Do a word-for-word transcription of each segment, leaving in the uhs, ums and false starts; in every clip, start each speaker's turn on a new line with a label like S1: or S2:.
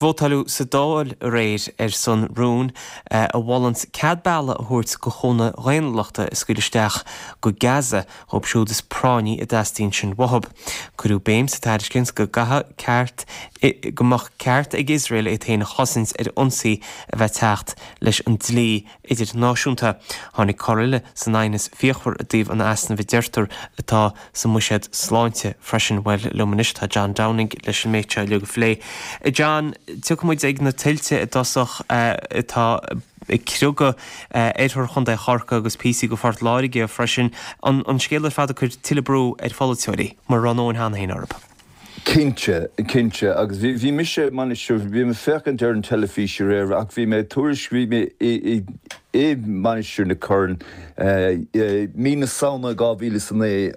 S1: Vótáladh sa Dáil aréir ar son rún a mholann cead bealaigh a thabhairt do chúnamh daonnúlachta a scaoileadh isteach go Gaza dhóibh siúd is práinní a dteastaíonn sin uathu. Cuireadh béim sa tairiscint go gcaithfeadh ceart go mbeadh ceart ag Iosrael é féin a chosaint ar ionsaí a bheith teacht leis an dlí idirnáisiúnta. Tháinig cor eile san aighneas fíochmhar i dtaobh an easnaimh a deirtear atá sa mbuiséad sláinte freisin. Bhuel liom anois tá John Downing leis an méid seo uilig a phlé. John, tiocfaidh muid ag na tuilte i dtosach atá ag criogadh oirthear Chontae Chorcaí agus píosaí de Phort Láirge freisin. An scéal ar fad ag cur tuilleadh brú ar pholaiteoirí, mar a raibh a ndóthain cheana féin orthu.
S2: Cinnte, cinnte, agus bhí bhí mise Mainistir, bhí mé féachaint ar an teilifís aréir ach bhí mé tuairisc, bhí mé i i i Mainistir na Corann mí na Samhna dhá mhíle is a naoi,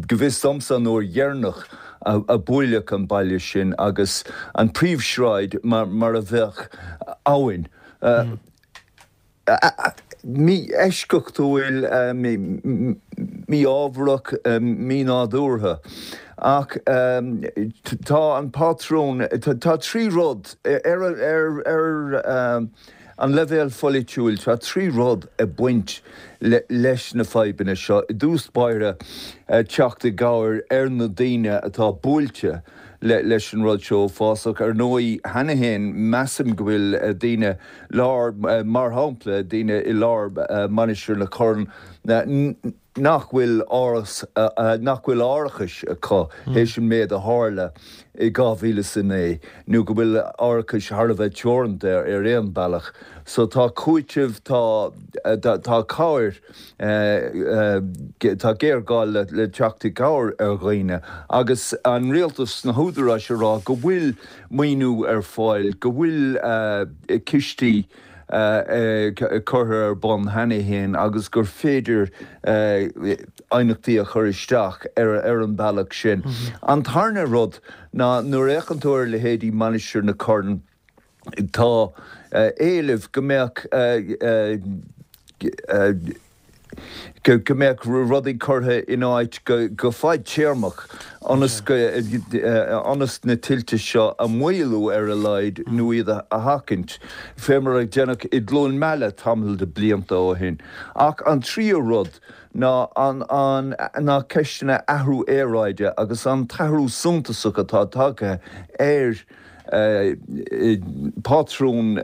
S2: go bhfios domsa an uair dheireanach a buaileadh an baile sin agus an príomhshráid mar mar a bheadh abhainn. Mí-eisceachtúil, mí-ámharach, mí-nádúrtha. Ach tá an pátrún, tá trí rud, ar an leibhéal pholaitiúil, tá trí rud ag baint leis na fadhbanna seo. I dtús báire, teacht i gcabhair ar na daoine atá buailte leis an rud seo uafásach. Ar ndóigh, cheana féin, measaim go bhfuil daoine lár, mar shampla, daoine i lár Mainistir na Corann nach bhfuil áras, nach bhfuil árachais acu théis an méid a tharla i dhá mhíle is a naoi, nó go bhfuil árachais thar a bheith teoranta ar aon bealach. So tá cúiteamh, tá, tá cabhair, tá géarghá le teacht i gcabhair ar dhaoine agus an rialtas, na húdaráis a rá go bhfuil maoiniú ar fáil, go bhfuil cistí curtha ar bun cheana féin agus gur féidir aighneachtaí a chur isteach ar an bealach sin. An tarna rud ná nuair a fhéachann tú ar leithéidí Mainistir na Corann, tá éileamh go mbeadh go mbeadh rudaí curtha in áit go fadtéarmach ionas go ionas na tuilte seo a mhaolú ar a laghad nó iad a sheachaint, fé mar a deineadh i gCluain Meala tamall de blianta ó shin. Ach an tríú rud ná an an ná ceisteanna athrú aeráide agus an t-athrú suntasach atá tagtha ar pátrún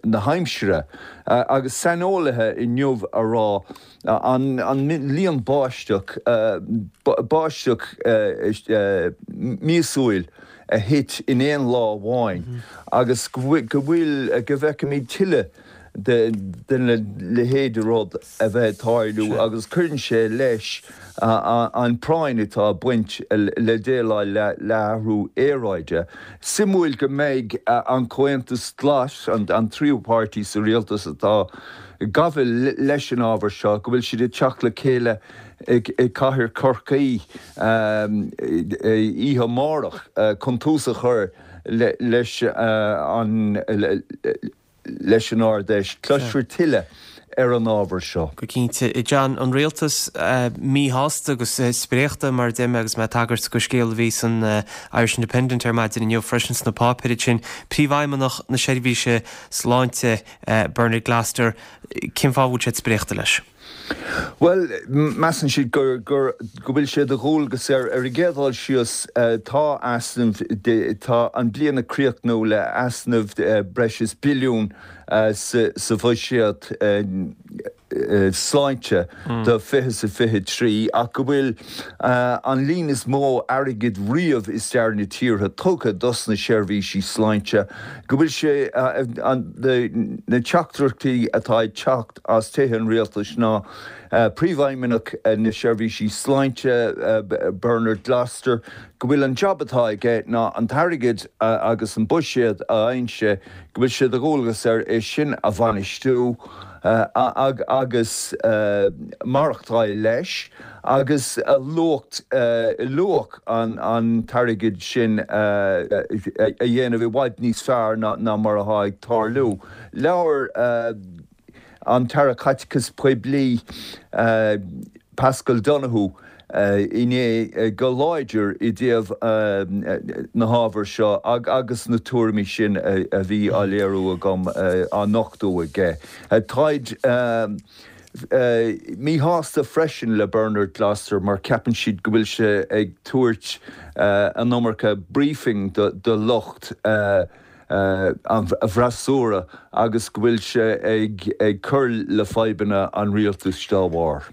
S2: na haimsire agus saineolaithe inniu a rá an líon báisteach báisteach míosúil a thit in aon lá amháin agus go bhfuil go bhfeicfimid tuilleadh den leithéid de rud a bheith ag tarlú agus cuireann sé leis an práinn atá ag baint le déileáil le hathrú aeráide. Suimiúil go mbeidh an Comhaontas Glas, an tríú páirtí sa rialtas atá ag gabháil leis an ábhar seo, go bhfuil siad ag teacht le chéile i gcathair Chorcaí oíche amárach chun tús a chur leis an leis an Ard-Fheis. Cloisfear tuilleadh ar an ábhar seo.
S1: Go cinnte. John, an rialtas míshásta agus spréachta, mar a deir mé agus mé ag tagairt go scéal a bhí san Irish Independent ar maidin inniu freisin sna páipéir ansin, Príomhfheidhmeannach na Seirbhíse Sláinte, Bernard Gloster, cén fáth a bhfuil siad spréachta leis?
S2: Bhuel, measann siad gur, gur, go bhfuil sé de dhualgas air, ar an gcéad dul síos, tá easnamh, tá an bliain ag críochnú le easnamh breis is billiún sa, sa bhuiséad sláinte do fiche is a fiche trí ach go bhfuil an líon is mó airgid riamh i stair na tíre tugtha dos na seirbhísí sláinte, go bhfuil sé, na teachtaireachtaí atá ag teacht as tithe an rialtais ná Príomhfheidhmeannach na Seirbhísí Sláinte, Bernard Gloster, go bhfuil an jab atá aige ná an t-airgead agus an buiséad a fhaigheann sé, go bhfuil sé de dhualgas air é sin a bhainistiú agus maireachtáil leis agus luach luach an t-airgead sin a dhéanamh i bhfad níos fearr ná mar atá ag tarlú. Labhair an tAire Caiteachais Poiblí, Paschal Donohoe, inné go láidir i dtaobh na hábhar seo agus na tuairimí sin a bhí á léiriú agam á nochtadh aige. Táid míshásta freisin le Bernard Gloster mar ceapann siad go bhfuil sé ag tabhairt an iomarca briefing do lucht an fhreasúra agus go bhfuil sé ag cur le fadhbanna an rialtais dá bharr.